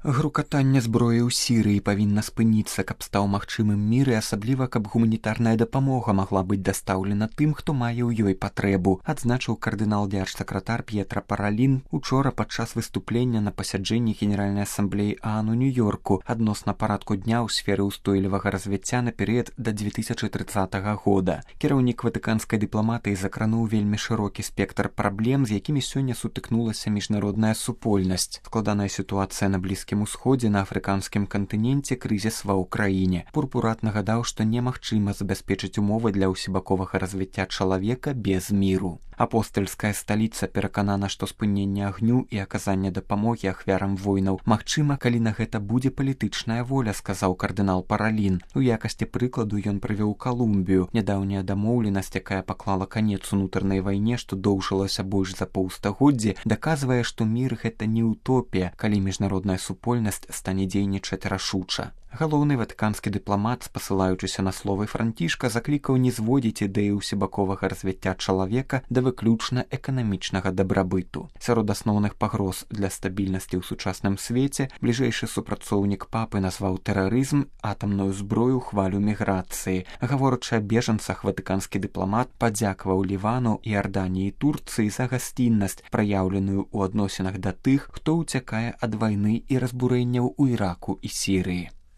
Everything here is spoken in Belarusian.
Грукатанне зброі ў Сірыі павінна спыніцца, каб стаў магчымым мір і асабліва, каб гуманітарная дапамога магла быць дастаўлена тым, хто мае ў ёй патрэбу, адзначыў кардынал-дзярж-сакратар П'етра Паралін учора падчас выступлення на пасяджэнні Генеральнай асамблеі ААН у Нью-Йорку адносна парадку дня ў сферы ўстойлівага развіцця на перыяд да 2030 года. Кіраўнік ватыканскай дыпламатыі закрануў вельмі шырокі спектр праблем, з якімі сёння сутыкнулася міжнародная супольнасць. Складаная сітуацыя на Блізкім Усходзе, на афрыканскім кантыненце, крызіс ва ўкраіне. Пурпурат нагадаў, што немагчыма забяспечыць умовы для ўсебаковага развіцця чалавека без міру. Апостальская сталіца пераканана, што спыненне агню і аказанне дапамогі ахвярам войнаў магчыма, калі на гэта будзе палітычная воля, сказаў кардынал Паралін. У якасці прыкладу ён прывёў Калумбію, нядаўняя дамоўленасць, якая паклала канец унутранай вайне, што доўжылася больш за паўстагоддзі, даказвае, што мір гэта не утопія, калі міжнародная супольнасць стане дзейнічаць рашуча. Галоўны ватыканскі дыпламат, спасылаючыся на словы Францішка, заклікаў не зводзіць ідэю ўсебаковага развіцця чалавека да выключна эканамічнага дабрабыту. Сярод асноўных пагроз для стабільнасці ў сучасным свеце бліжэйшы супрацоўнік папы назваў тэрарызм, атамную зброю, хвалю міграцыі. Гаворачы аб бежанцах, ватыканскі дыпламат падзякаваў Лівану, Іарданіі і Турцыі за гасціннасць, праяўленую ў адносінах да тых, хто ўцякае ад вайны і разбурэнняў у Іраку і Сірыі.